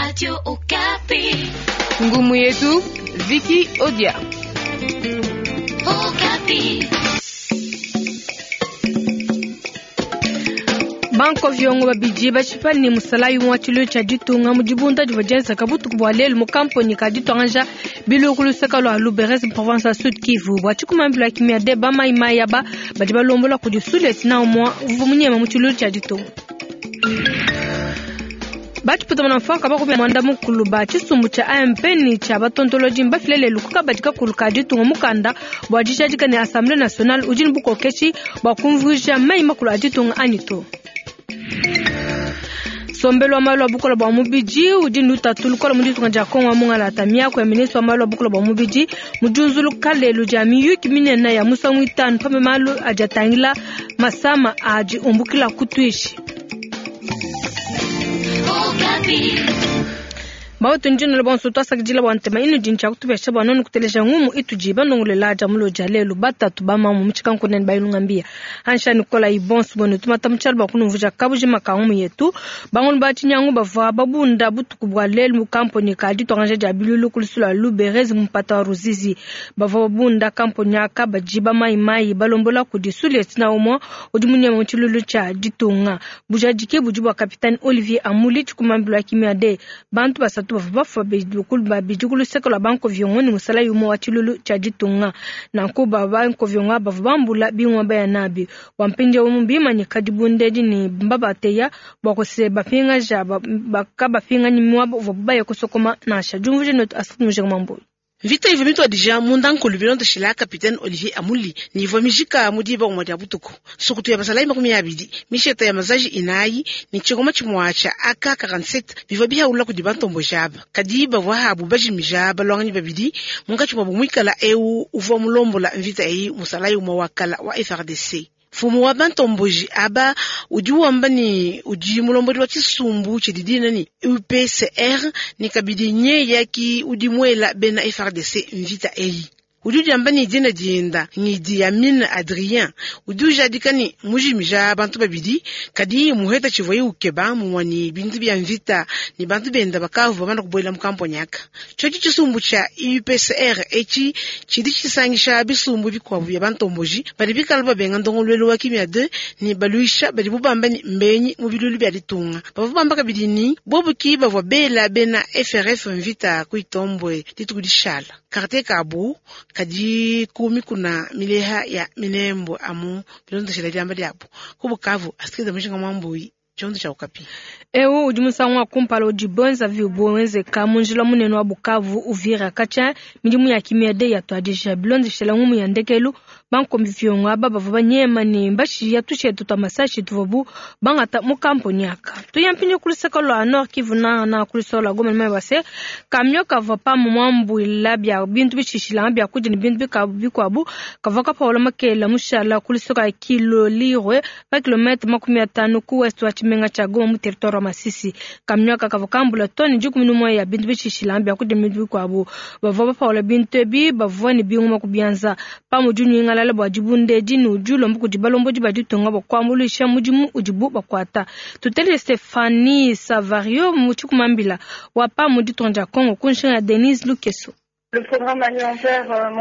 Radio Okapi. Ngumu yetu Vicky Odia. Okapi. Banko viongo babidi bashipa ne musalayi umue wa tshiluilu tshia ditunga mu dibunda divua dienzeka butuku bua lelu mu kamponyi ka dituangaja bilu ku luseke lua Luberez mu province ya Sud Kivu. Bua tshikumambilu ya kimia de ba mayi mayi aba badi balombola kudi sulieutenant umue uvua munyema mu tshiluilu tshia ditunga. Batshipeta mfuanka bakumi muanda mukulu ba tshisumbu tshia AMP ne tshia batontolodi mbafile lelu ku kabadi kakulu ka ditunga mukanda bua dijadika ne Assemblée nationale udi ne bukokeshi bua kumvuija meyi makulu a ditunga anyi to. Nsombelu wa malu a bukole bua mubidi udi ne lutatu lukole mu ditunga dia Kongo wa mungalata. Miaku ya ministre wa malu a bukole bua mubidi mu diunzuluka lelu dia miyuki minene ya musangu itanu pa malu adi atangila masama adi umbukila ku tuishi. Bautu ndinole bonso twasakidila bua ntema inudi ntshia kutupesha bua nonu kuteleja ngumu itudi banongolela dia mulo dia lelu batatu bamamu mu tshikankunene bayilunga mbia ansha nikola ibonso bonu tumata mu tshialu bua kunumvuja kabujima ka ngumu yetu. Bangulu ba tshinyangu bavua babunda butuku bua lelu mu kamponi ka dituangaja dia bilulu ku lusu lua Luberezi mu mpata wa Ruzizi. Bavua babunda kamponi aka badi ba mayi mayi balombola kudi sulieutenant umue udi munyema mu tshilulu tshia ditunga. Bujadiki budi bua kapitani Olivier Amuli tshikumambilu wa kimia de bantu basatu bavua bafua babidi ku luseke lua bankoviongo ne musalayi umue wa tshilulu tshia ditunga. Nanku ba bankoviongo bavua bambula bingoma baya nabi. Bua mpindieu mbimanyika dibunda edi ne mbabateya bua kuse bapingaja bakabapinganyi muaba uvuabu baya kusokoma nansha. Diumvuija netu Astrid Mujinga Mambuyi. Mvita ivua mituadija munda nkulu bilondeshila kapitene Olivier Amuli ne ivua mijika mu diba umue dia butuku. Nsukutu ya basalayi 20, misheta ya mazaji 4 ne tshingoma tshimue tshia AK-47 bivua bihaula kudi bantomboji aba. Kadi bavua habu bajimija balwanganyi babidi munkatshi muabu muikala eu uvua mulombola mvita eyi musalayi umue wa kala wa FARDC. Mfumu wa bantomboji aba udi wamba ne udi mulombodi wa tshisumbu tshidi dina ne UPCR ne kabidi nyeya ki udi muela bena FARDC mvita eyi. Udi udiamba ne dina dienda ngidi ya Mine Adrien udi ujadika ne mujimija bantu babidi kadi muheta tshivuaye ukeba mumue ne bintu bia mvita ne bantu benda bakavua bamana kubuela mu kamponi aka. Tshiotshi tshisumbu tshia UPCR etshi tshidi tshisangisha bisumbu bikuabu bia bantomboji badi bikala babenga ndongoluelu wa kimia 2 ne baluisha badi bubamba ne mbenyi mu bilulu bia ditunga. Bavua bamba kabidi ne bobu ki bavua bela bena FRF mvita ku Itombwe dituku dishala. Quartier kabu kadi ku mikuna mileha ya Minembwe amu bilondeshela diamba diabu. Ku Bukavu, Astrid Mujinga Mwambuyi, tshiondo tshia Okapi. Eu udi musangu wa kumpala udi bonza vibu wenzeka mu njila munene wa Bukavu Uvira katshia midimu ya kimia de yatuadija bilondeshela ngumu ya ndekelu bankombi viongo aba bavua banyema ne mbashiya tushetu twa masashi tuvuabu bangata mu kamponi aka. Tuya mpindieu ku luseke lua Nord Kivu na na ku luseke lua Goma ne base kamio kavua pamue muambuila bia bintu bishishilanga bia kudia ne bintu bikuabu kavua kapaula makela mushala ku luseke lua Kilolirwe pa kilomètre 50 ku ouest wa tshimenga tshia Goma mu territoire wa Masisi. Kamio aka kavua kambula tone 11 ya bintu bishishilanga bia kudia ne bintu bikuabu. Bavua bapaula bintu ebi bavua ne bingoma ku bianza. Pamue dinyingalala bua dibunda edi ne udi ulomba kudi balombodi ba ditunga bua kuambuluisha mudimu udibu bakuata. Tutele Stephanie Savario mu tshikumambila wa pamue ditunga dia Congo ku nshinga ya Denise Lukeso.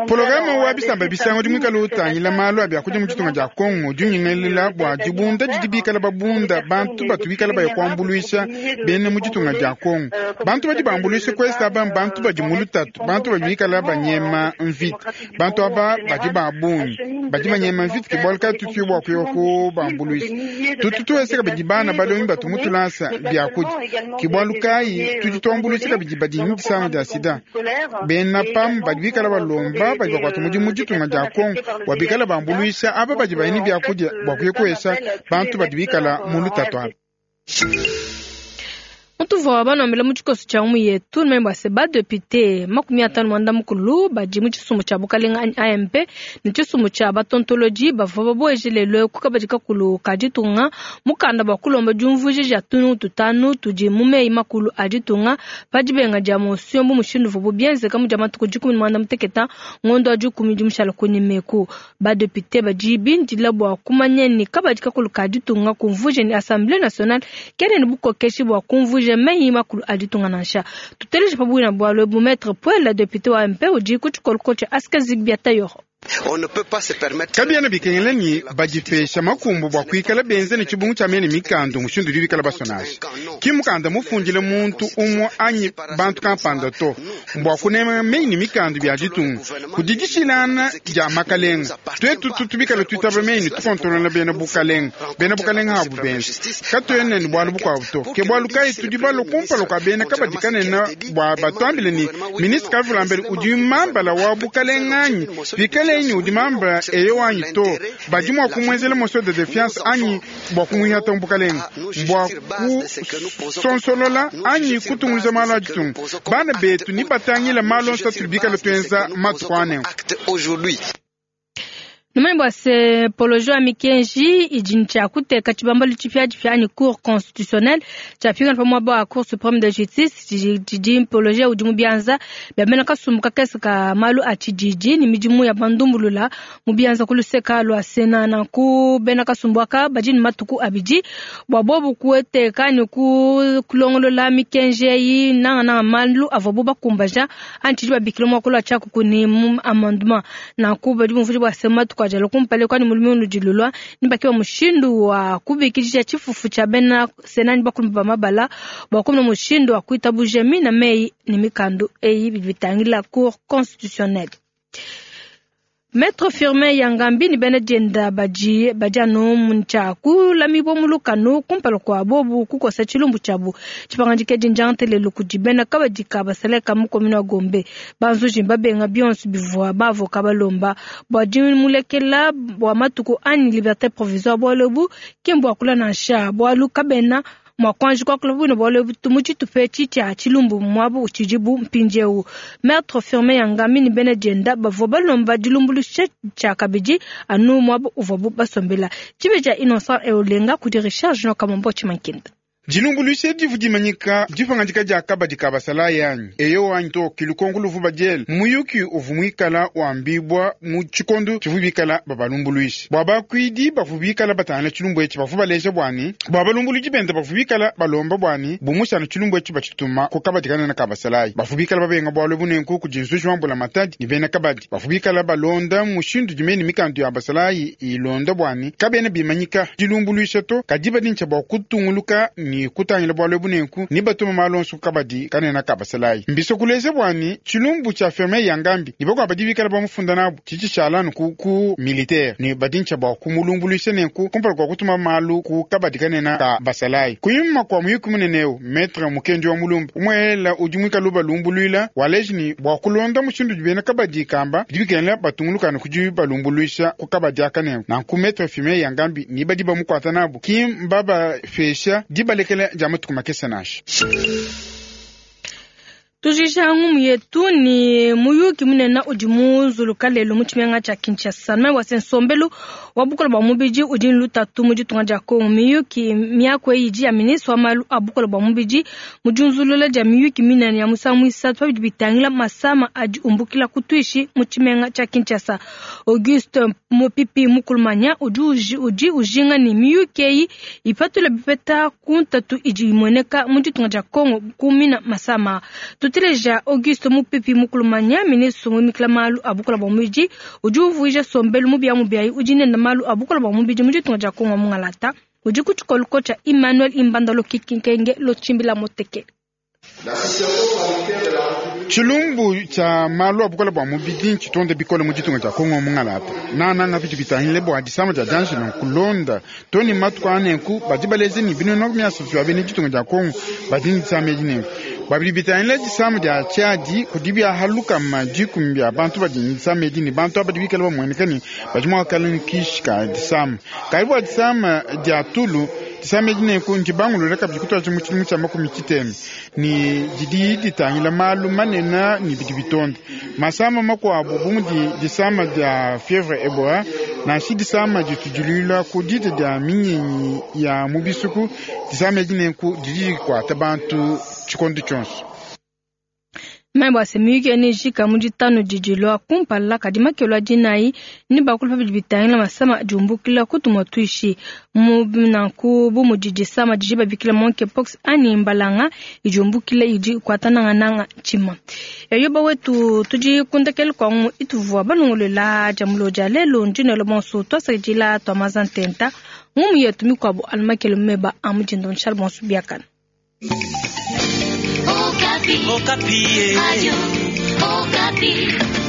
Polograma wa bisamba bisango udi muikale utangila malu a biakudia mu ditunga dia Kongo udi unyingalela bua dibunda didi bikala babunda bantu batu bikala baya kuambuluisha bena mu ditunga dia Kongo. Bantu badi bambuluisha kwesa aba bantu badi mu lutatu, bantu badi bikala banyema mvita, bantu aba badi ba bungi badi banyema mvita ke bualu kayi tutu bua kuya kubambuluisha. Tutu tuwesa kabidi bana balongi batu mu tulasa biakudia ke bualu kayi tudi tuambuluisha kabidi badi ne disama dia sida. Bena PAM badi bikala balomba badi bakuata mudimu mu ditunga dia Kongo bua bikala bambuluisha aba badi bayini biakudia bua kuya kuesa bantu badi bikala mu lutatu aba. Mutuvua banambila mu tshikoso tshia ngumu yetu numanye se badepite 59 badi mu tshisumbu tshia bukalenga anyi AMP ne tshisumbu tshia batontolodi bavua babueje lelu ku kabadi kakulu ka ditunga mukanda bua kulomba diumvuija dia tunungu tutanu tudi mu meyi makulu a ditunga pa dibenga dia motion bu mushindu uvuabu bienzeka mu dia matuku 18 ngondo wa 10 dimushala kunyima badepite badi bindila bua kumanya ne kabadi kakulu ka ditunga kumvuija ne Assemblée nationale kena ne bukokeshi bua kumvuija. kuitabuja meyi makulu a ditunga nansha. Tuteleje pa buina bualu ebu Maître Puela, député wa MP udi ku tshikoloko tshia Aska Zigbia Tayoro. Kabiena bikengela ne badipesha makumbu bua kuikala benze ne tshibungu tshia mene mikanda mushindu udi bikala basonasha. Ki mukanda mufundile muntu umue anyi bantu kampanda to, bua kunema meyi ne mikanda bia ditunga. Kudi dishilana dia makalenga, tuetu tutu bikala tuitaba meyi ne tukontolola bena bukalenga, bena bukalenga abu benza. Katuena ne bualu bukuabu to. Ke bualu kayi tudi balue kumpala kua bena kabadi kanene bua batuambile ne ministre Kavulambeli udi mambala wa bukalenga anyi pikale ni udi mamba eyo anyi to, badi mua kumuenzela motion de défiance anyi bua kumuihata mu bukalenga, bua kusonsolola anyi kutungunuja malu a ditunga. Bana betu ni batangila malu onso atudi bikala tuenza matuku anenku. Numanyi bua se polojo ya mikenji idi ntshia kuteka tshibambalu tshipiatshipia anyi cour constitutionnelle tshiapingana pa muaba wa cour supreme de justice tshidi mpoloje udi mu bianza bia bena kasumbu kakese ka malu a tshididi ne midimu ya bandumbulula mu bianza ku luseka lua Sena. Nanku bena kasumbu aka badi ne matuku abidi bua bobu kueteka ne kulongolola mikenji eyi nangananga malu avuabu bakumbaja anyi tshidi babikila muakulu wa tshiakuku ne mu amendement. Nanku badi bumvuija bua se matuku ajala kumpala kwani mulimi unudilulwa ni bakiwa mushindu wa kubikidisha tshifufu tshia bena Sena ni bakulu ba mabala bua kumona mushindu wa kuitabuja mina meyi ne mikandu eyi bidi bitangila cour constitutionnelle. Maître Firmin Yangambi ni bena dienda badi badi anu ntshia kulamibua mu lukanu kumpala kua bobu kukosa tshilumbu tshiabu. Tshipangadika dinjantelelu kudi bena kabadi ka basaleka mu commune wa Gombe. Banzuji babenga bionso bivua bavoka balomba bua dimulekela bua matuku anyi liberté provisoire bualu ebu ki mbua kula nansha bualu kabena mua kuanji kuakula buino bualu ebu mu tshitupa etshi tshia tshilumbu muabu utshidibu mpindieu. Maître Firmin Yangambi ni bena dienda bavua balomba dilumbuluisha tshia kabidi anu muabu uvuabu basombela. Tshibe tshia Innocent Eolenga kudi Richard Junior Kamombo Tshimankinda. Dilumbuluisha divu dimanyika dipangadika dia kabadi ka basalayi anyi eyo anyi to kilukonko luvu badiele muyuki uvu muikala wambibua mu tshikondo tshivu bikala babalumbuluisha bua bakuidi bavu bikala batangila tshilumbu etshi bavu baleja buani bua balumbuluidi bende bavu bikala balomba buani bumushana tshilumbu etshi batshituma ku kabadi kanene ka basalayi bavu bikala babenga bualu bunenku kudi nzuji wa mbula matadi ne bena kabadi bavu bikala balonda mushindu dimene mikandu ya basalayi ilonda buani kabena bimanyika dilumbuluisha to kadi badintsha bua kutunguluka ni kutangila bualu bunenku ni batuma malu onso kabadi kanene ka basalayi mbiso kuleza buani tshilumbu tshia Firmin Yangambi ni bakwa badi bikala bamufunda nabu tshitshi tshialanu ku militaire ni badintsha bua kumulumbuluisha nenku kumpala kua kutuma malu ku kabadi kanene ka basalayi kunyima kua muyuki munene eu maître Mukendi wa Mulumba umwela udi mwikala balumbuluila waleji ni bua kulonda mushindu dibena kabadi kamba bidi bikengela batungulukana kudi balumbuluisha ku kabadi aka nenku nanku maître Firmin Yangambi ni badi bamukuata nabu ki mbabapesha dibalekela dia matuku makese nansha. Tujisha ngumu yetu ni muyuki munene udi munzuluka lelo mu tshimenga tshia Kinshasa. Mai wase nsombelu wa bukola bua mubidi udi lutatu mu ditunga dia Kongo. Miyuki miaku eyi idi ya ministre wa malu a bukola bua mubidi mu diunzulula dia miyuki minene ya musangu muisatu pa bidi bitangila masama adi umbukila ku tuishi mu tshimenga tshia Kinshasa. Auguste Mopipi Mukulumanya udi ujinga ni miyuki eyi ipatula bipeta ku ntatu idi imueneka mu ditunga dia Kongo kumina masama. Tuteleja Auguste Mupipi Mukulumanya, ministre muimikila malu a bukola bua mubidi udi uvuija sombelu mubia mubiayi udi nenda malu a bukola bua mubidi mu ditunga dia Kongo mungalata udi ku tshikoluko tshia Emmanuel Imbandalo Kikinkenge Lotshimbila Moteke. Tshilumbu tshia malu a bukola bua mubidi ntshitonde bikole mu ditunga dia Kongo mungalata nananga bidi bitangile bua disama dia dianjila kulonda toni matuku anenku badi baleze ni binono miasatu bia bena ditunga dia Kongo badi ne disama edi nenku babidi bitangile disama dia tshiadi kudi biahaluka dikumi bia bantu badi ne disama edi ne bantu aba badi bikala bamueneka ne badi mua kukala ne kishi ka disama kadi bua disama dia tulu disama edi nenku ndibangulula kabidi kutuadija mu tshidimu tshia makumi tshiteme ni didi ditangila malu manene ni bidi bitonda masama makuabu bu mudi disama dia fievre Ebola nansha disama ditudilula ku dita dia minyinyi ya mu bisuku disama edi nenku didi dikuata bantu tshikondo tshionso. Mai bua se miyuki ya nejika mu ditanu didi dilua kumpala, kadi makelo a dinayi ne bakulu pa bidi bitangila masama adi umbukila ku tumua tuishi. Mu nanku bu mudi disama didi babikila monkeypox anyi mbalanga idi umbukila idi ikuata nangananga tshima. Yoba wetu tudi ku ndekelu kua ngumu ituvua balongolola dia mulo dia lelu. Ndi nelo bonso tuasakidila tua maza ntenta ngumu yetu mikuabu anu makelo meba a mudindo nshala bonso biakana. Okapi. Okapi. Radio Okapi.